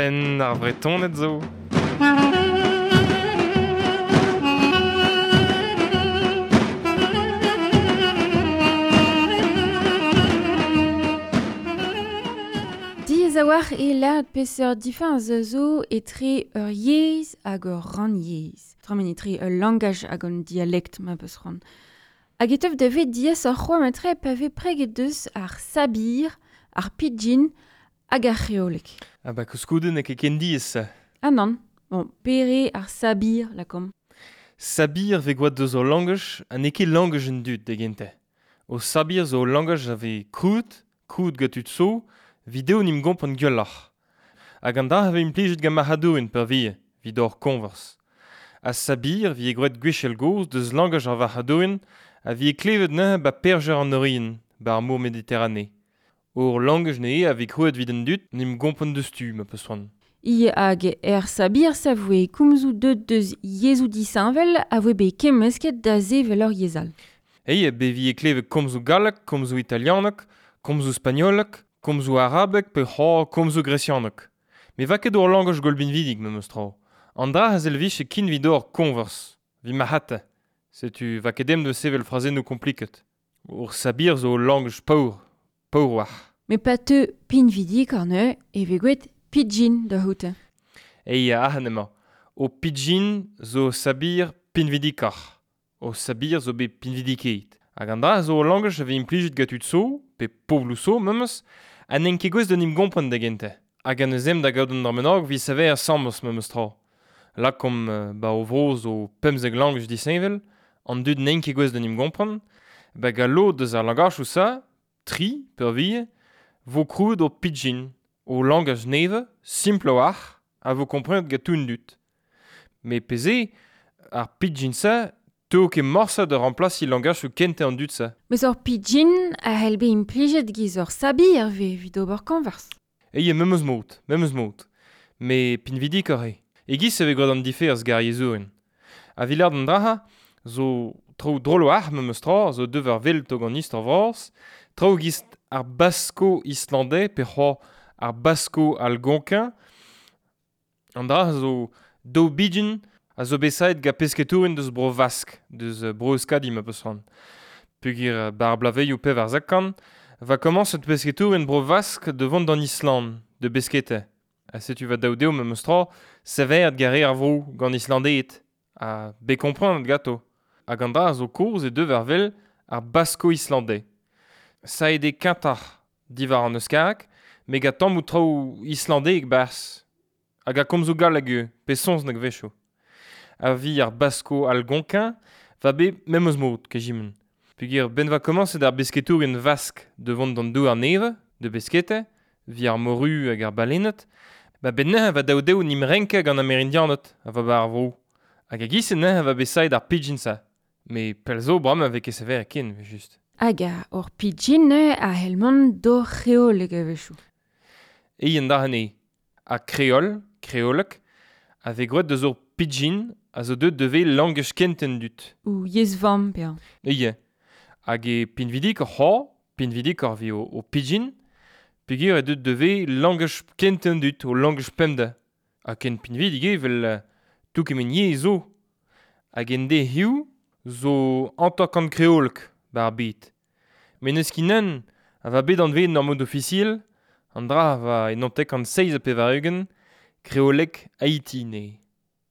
Penn ar Vretoned zo. Diaes a-walc'h eo lâret peseurt difiñv zo etre ur yezh hag ur rannyezh. Tremen etre ul langaj hag un dialekt ma peus c'hoant. Hag e teu da vet diaesoc'h c'hoazh matre pa vez preget deus ar sabir, ar pidgin hag ar c'hreoleg. Ah ba koulskoude n'eo ket ken diaes-se. Ah nann. Bon, pere ar sabir, lakaomp. Sabir vez gwraet deus ur langaj ha n'eo ket langaj an dud da gentañ. O sabir zo ul langaj a vez krouet, krouet gant tud zo, 'vit dezho 'n em gompren gwelloc'h. Hag an dra a vez implijet gant marc'hadourien peurvuiañ, 'vit ober koñvers. Ha sabir 'vije gwraet gwechall-gozh deus langaj ar varc'hadourien a vije klevet neuze 'ba Perjer an Oriant, 'ba ar mor Mediterane. Ur langaj neuze a vez krouet 'vit an dud 'n em gompren diouzhtu ma 'peus c'hoant. I hag er sabir-se a voe komzoù deuet deus yezhoù disheñvel a voe bet kemmesket da sevel ur yezh all. Eya, bet 'vije klevet komzoù galleg, komzoù italianeg, komzoù spagnoleg, komzoù arabeg pe c'hoazh komzoù gresianeg. Met 'va ket ur langaj gwall binvidik memes tra. An dra a servije ken 'vit ober koñvers, 'vit marc'hata. Setu 'va ket ezhomm da sevel frazennoù kompliket. Ur sabir zo ul langaj paour, paour 'walc'h. Met pa teu pinvidikoc'h neuze e vez gwraet pidgin da c'hoût. Eya, ac'hann emañ. Ho pidgin zo sabir pinvidikoc'h. Ho sabir zo bet pinvidikaet. Hag an dra zo ul langaj a vez implijet gant tud zo, pe pobloù zo memes, ha n'int ket gouest d'en em gompren da gentañ. Hag an eus ezhomm da gaout un dra bennak 'vit saver asambles memes tra. Lakaomp 'ba o vro zo 15 langaj disheñvel, an dud n'int ket gouest d'en em gompren, ba gant lod deus ar langajoù-se, tri peurvuiañ, 'vo krouet ur pidgin, o langaj nevez, simpl a-walc'h, a vo komprenet gant tout an dud. Met pezh eo, ar pidgin-se 'teuo ket morse da remplasiñ langajoù kentañ an dud-se. Met ur pidgin a c'hell bezañ implijet giz ur sabir 'vez evit ober koñvers. Eya, memes mod, memes mod. Met pinvidikoc'h eo. E-giz e vez gwraet an diferz gant ar yezhourien. Ha 'vit lâret an dra-se zo traoù drol a-walc'h memes tra, zo deuet war wel tog an istor vras, traoù 'giz ar basko-islandais pe c'hoazh ar basko-algonquin. An dra zo daou bidgin a zo bet savet gant pesketourien deus Bro-Vask, deus Bro-Euskadi ma 'peus c'hoant. Peogwir 'ba ar bloavezhioù 1400 va komañset pesketourien Bro-Vask da vont d'an Island, da besketa. Ha setu va daou dezho memes tra savet gant re ar vro, gant Islandeed, ha bet komprenet ganto. Hag an dra zo kozh e deu war wel ar basko-islandais. Savet eo kentoc'h diwar an euskareg, met gant tammoù traoù islandek 'barzh. Hag a komzoù galleg ivez, pe saozneg a-wechoù. Ha vi ar basko-algonquin va bet memes mod kejiment. Peogwir 'benn 'va komañset ar besketourien vask da vont d'an douar nevez, da besketa, 'vit ar moru hag ar balenned, ba 'benn neuze 'va daou dezho 'n em renkañ gant Amerindianed a va 'ba ar vro. Hag e-giz-se neuze 'va bet savet ar pidgin-se. Met pell zo bremañ 'vez ket savet ken evel-just. Hag ur pidgin neuze a c'hell mont d'hor c'hreoleg a-wechoù. Eil an dra anezhi. Ha kreol, kreoleg, a vez gwraet deus ur pidgin a zo deuet da vezañ langaj kent an dud. Ou yezh-vamm peañ. Eya. Hag eo pinvidikoc'h c'hoazh, pinvidikoc'h 'vit o pidgin, peogwir eo deuet da vezañ langaj kent an dud, o langaj pemdez. Ha ken pinvidik eo 'vel tout kement yezh zo. Hag en dezhioù zo 50 kreoleg 'ba ar bed. Met n'eus ket un a va bet anvet en ur mod ofisiel, an dra a va e 97 kreoleg Haiti neuze.